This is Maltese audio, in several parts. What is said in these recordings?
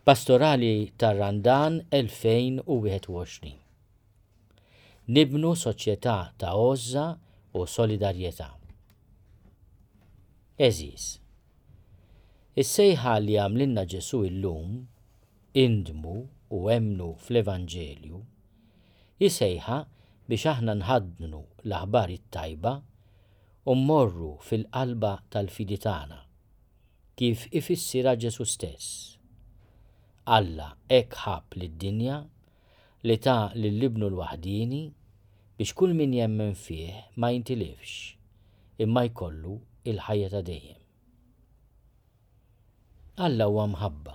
Pastorali tar-Randan 2021. Nibnu soċjetà ta' għożża u solidarjetà. Għeżież, is-sejħa li għamlilna Ġesù illum, indmu u emmnu fl-Evanġelju, hi sejħa biex aħna nħaddnu l-aħbar it-tajba u mmorru fil-qalba tal-fidi tagħna, kif ifissirha Ġesù stess. Alla hekk ħabb lid-dinja li ta lil Ibnu l-waħdieni biex kull min jemmen fih ma jintilifx, imma jkollu l-ħajja ta' dejjem. Alla huwa mħabba,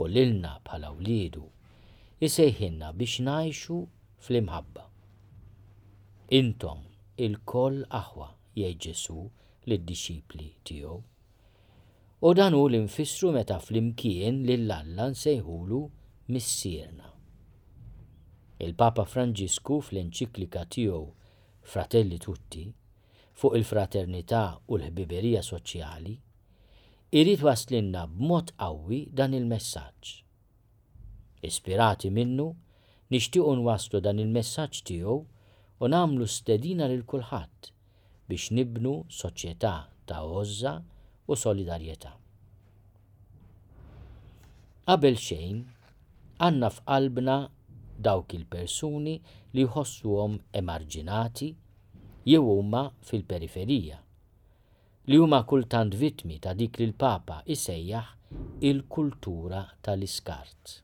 u lilna bħala wliedu jsejħilna biex ngħixu fl-imħabba. Intom ilkoll aħwa, jgħid Ġesù lid-dixxipli tiegħu. U dan hu li nfissru meta flimkien lil Alla nsejħulu Missierna. Il-Papa Franġisku fl-enċiklika tiegħu Fratelli Tutti, fuq il-fraternità u l-ħbiberija soċjali, irid iwasslilna b'mod qawwi dan il-messaġġ. Ispirati minnu, nixtiequ nwasslu dan il-messaġġ tiegħu u nagħmlu stedina lil kulħadd biex nibnu soċjetà ta' għożża u solidarjetà. Qabel xejn, għandna f'qalbna dawk il-persuni li jħossuhom emarġinati jew huma fil-periferija, li huma kultant vittmi ta' dik li l-Papa jsejjaħ il-kultura tal-iskart.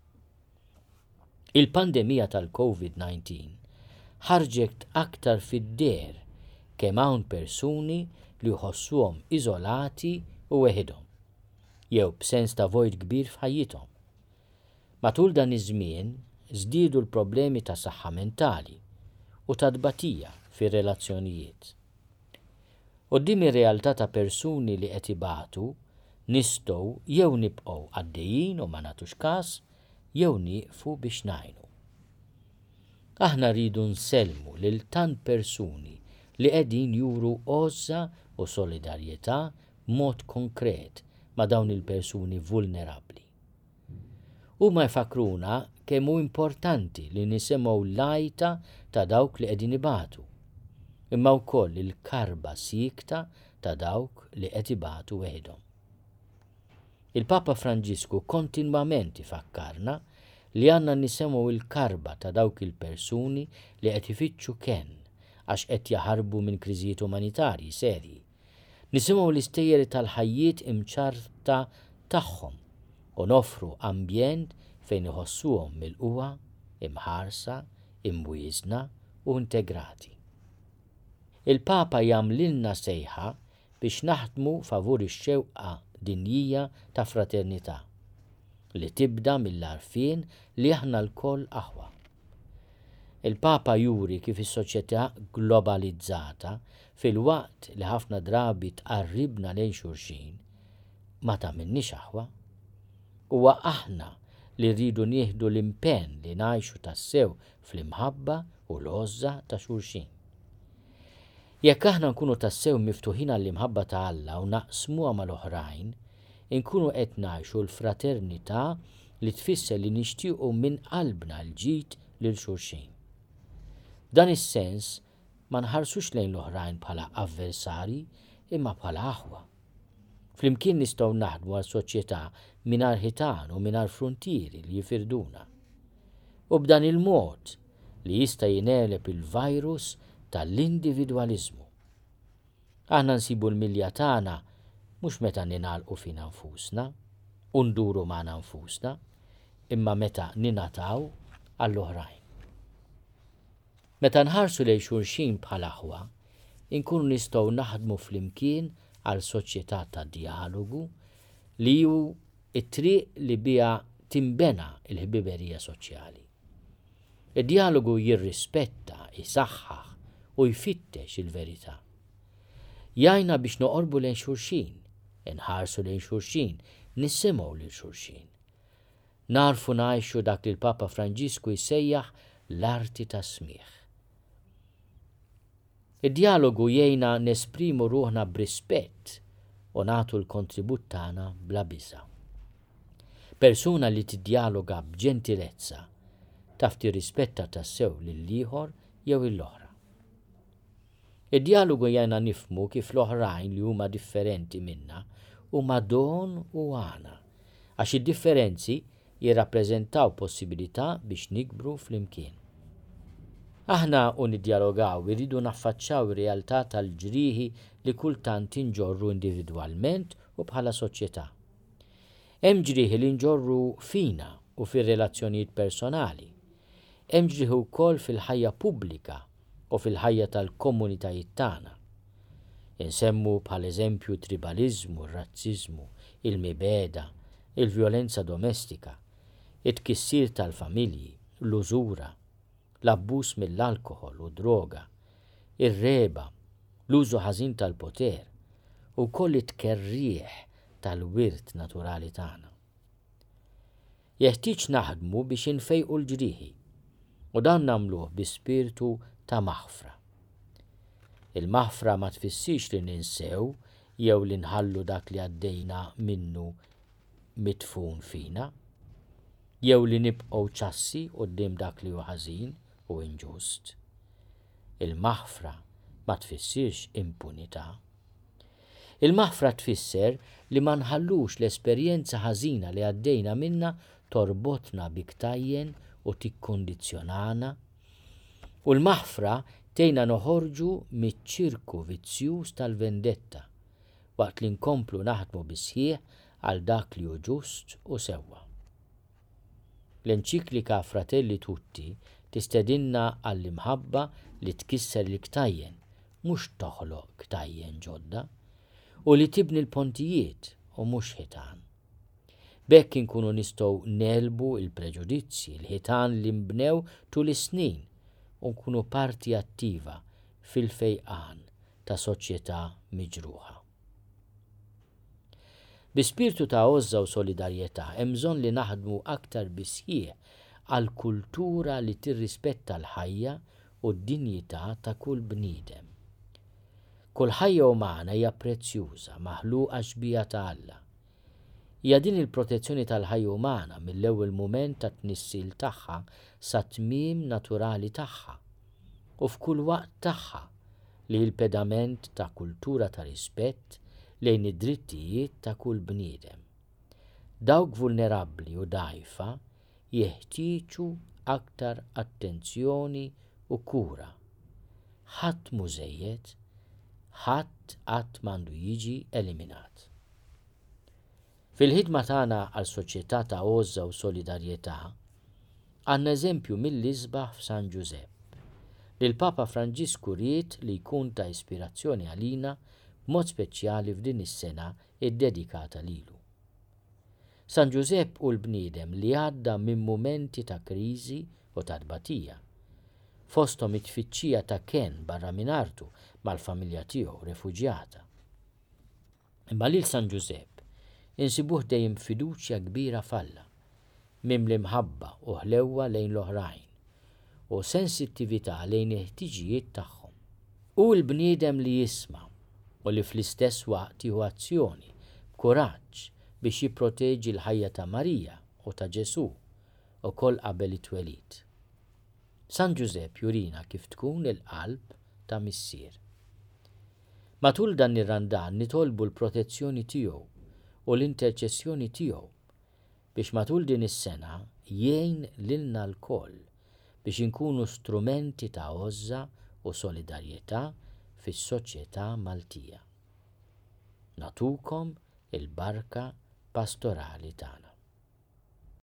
Il-pandemija tal-Covid 19 ħarġet aktar fid-deher kemm hawn persuni li jħossuhom iżolati u weħidhom, jew b'sens ta' vojt kbir f'ħajjithom. Matul dan iż-żmien żdiedu l-problemi ta' saħħa mentali u ta' tbatija fir-relazzjonijiet. Quddiem ir-realtà ta' persuni li qed ibatu, nistgħu jew nibqgħu għaddejjin u ma nagħtux kas jew nieqfu biex ngħinu. Aħna rridu nsellmu lil tant persuni li qegħdin juru għożża u solidarjetà b'mod konkret ma' dawn il-persuni vulnerabbli. Huma jfakkruna kemm hu importanti li nisimgħu l-għajta ta' dawk li qegħdin ibatu, imma wkoll il-karba siekta ta' dawk li qed ibatu weħidhom. Il-Papa Franġisku kontinwament ifakkarna li għandna nisemgħu l-karba ta' dawk il-persuni li qed ifittxu kenn għax qed jaħarbu minn kriżijiet umanitarji serji. Nisimgħu l-istejjer tal-ħajjiet imċarrta tagħhom u noffru ambjent fejn iħossuhom milqugħa, imħarsa, imwieżna u integrati. Il-Papa jagħmlilna sejħa biex naħdmu favur ix-xewqa dinjija ta' fraternità, li tibda mill-għarfien li aħna lkoll aħwa. Il-Papa juri kif is-soċjetà globalizzata, filwaqt li ħafna drabi tqarribna lejn xulxin, ma tagħmilniex aħwa. Huwa aħna li rridu nieħdu l-impenn li ngħixu tassew fl-imħabba u l-għożża ta' xulxin. Jekk aħna nkunu tassew miftuħin għall-imħabba ta' Alla u naqsmuha mal-oħrajn, inkunu qed ngħixu l-fraternità li tfisser li nixtiequ minn qalbna l-ġid lil xulxin. F'dan is-sens, ma nħarsux lejn l-oħrajn bħala avversarji imma bħala aħwa. Flimkien nistgħu naħdmu għal soċjetà mingħajr ħitan u mingħajr fruntieri li jifirduna. U b'dan il-mod li jista' jingħeleb il-virus tal-individwaliżmu. Aħna nsibu l-milja tagħna mhux meta ningħalqu fina nfusna u nduru magħna nfusna, imma meta ningħataw għall-oħrajn. Meta nħarsu lejn xulxin bħal aħwa, inkunu nistgħu naħdmu flimkien għal soċjetà ta' djalogu li hu t-triq li biha tinbena l-ħbiberija soċjali. Id-djalogu jirrispetta, isaħħaħ u jfittex il-verità. Jgħinna biex noqorbu lejn xulxin, inħarsu lejn xulxin, nisimgħu lil xulxin. Nagħrfu ngħixu dak li l-Papa Franġisku jsejjaħ l-arti tas-smigħ. Id-djalogu jgħinna nesprimu ruħna b'rispett u nagħtu l-kontribut tagħna bla biża'. Persuna li tiddjaloga b'ġentilezza taf tirrispetta tassew lill-ieħor jew lill-oħra. Id-djalogu jgħinna nifhmu kif l-oħrajn li huma differenti minna huma don u għana, għax id-differenzi jirrappreżentaw possibilità biex nikbru flimkien. Aħna u niddjalogaw irridu naffaċċaw ir-realtà tal-ġrieħi li kultant inġorru individwalment u bħala soċjetà. Hemm ġrieħi li nġorru fina u fir-relazzjonijiet personali. Hemm ġrieħi wkoll fil-ħajja pubblika u fil-ħajja tal-komunitajiet tagħna. Insemmu bħala eżempju t-tribaliżmu, r-razziżmu, il-mibegħda, il-vjolenza domestika, it-tkissir tal-familji, l-użura, l-abbuż mill-alkoħol u d-droga, ir-regħba, l-użu ħażin tal-poter, u wkoll it-tkerrieħ tal-wirt naturali tagħna. Jeħtieġ naħdmu biex infejqu l-ġrieħi, u dan nagħmluh bi spirtu ta' maħfra. Il-maħfra ma tfissirx li ninsew jew li nħallu dak li għaddejna minnu midfun fina, jew li nibqgħu ċassi quddiem dak li hu ħażin u inġust. Il-maħfra ma tfissirx impunità. Il-maħfra tfisser li ma nħallux l-esperjenza ħażina li għaddejna minnha torbotna bi ktajjen u tikkundizzjonana. U l-maħfra tgħinna noħorġu miċ-ċirku vizzjuż tal-vendetta, waqt li nkomplu naħdmu bis-sħiħ għal dak li hu ġust u sewwa. L-enċiklika Fratelli Tutti tistedinna għall-imħabba li tkisser il-ktajjen, mhux toħloq ktajjen ġodda, u li tibni l-pontijiet u mhux ħitan. B'hekk inkunu nistgħu negħlbu l-preġudizzji, l-ħitan li nbnew tul is-snin u nkunu parti attiva fil-fejqan ta' soċjetà miġruħa. Bi spirtu ta' għożża u solidarjetà hemm bżonn li naħdmu aktar bis-sħiħ għal kultura li tirrispetta l-ħajja u d-dinjità ta' kull bniedem. Kull ħajja umana hija prezzjuża, maħluqa xbieha ta' Alla. Hija din il-protezzjoni tal-ħajja umana mill-ewwel mument tat-tnissil tagħha sat-tmiem naturali tagħha u f'kull waqt tagħha li hi l-pedament ta' kultura ta' rispett lejn id-drittijiet ta' kull bniedem. Dawk vulnerabbli u dgħajfa jeħtieġu aktar attenzjoni u kura. Ħadd mhu żejjed, ħadd qatt m'għandu jiġi eliminat. Fil-ħidma tagħna għal soċjetà ta' għożża u solidarjetà, għandna eżempju mill-isbaħ f'San Ġużepp, li l-Papa Franġisku ried li jkun ta' ispirazzjoni għalina b'mod speċjali f'din is-sena ddedikata lilu. San Ġużepp hu l-bniedem li għadda minn mumenti ta' kriżi u ta' tbatija, fosthom it-tfittxija ta' kenn barra minn artu mal-familja tiegħu refuġjata. Imma lil San Ġużepp insibuh dejjem b'fiduċja kbira f'Alla, mimli mħabba u ħlewwa lejn l-oħrajn, u sensittività lejn il-ħtiġijiet tagħhom. Hu l-bniedem li jisma' u li fl-istess waqt jieħu azzjoni b'kuraġġ biex jipproteġi l-ħajja ta' Marija u ta' Ġesù, ukoll qabel it-twelid. San Ġużepp jurina kif tkun il-qalb ta' missier. Matul dan ir-Randan nitolbu l-protezzjoni tiegħu u l-interċessjoni tiegħu biex matul din is-sena jgħin lilna lkoll biex inkunu strumenti ta' għożża u solidarjetà fis-soċjetà Maltija. Nagħtukom il-barka pastorali tagħna.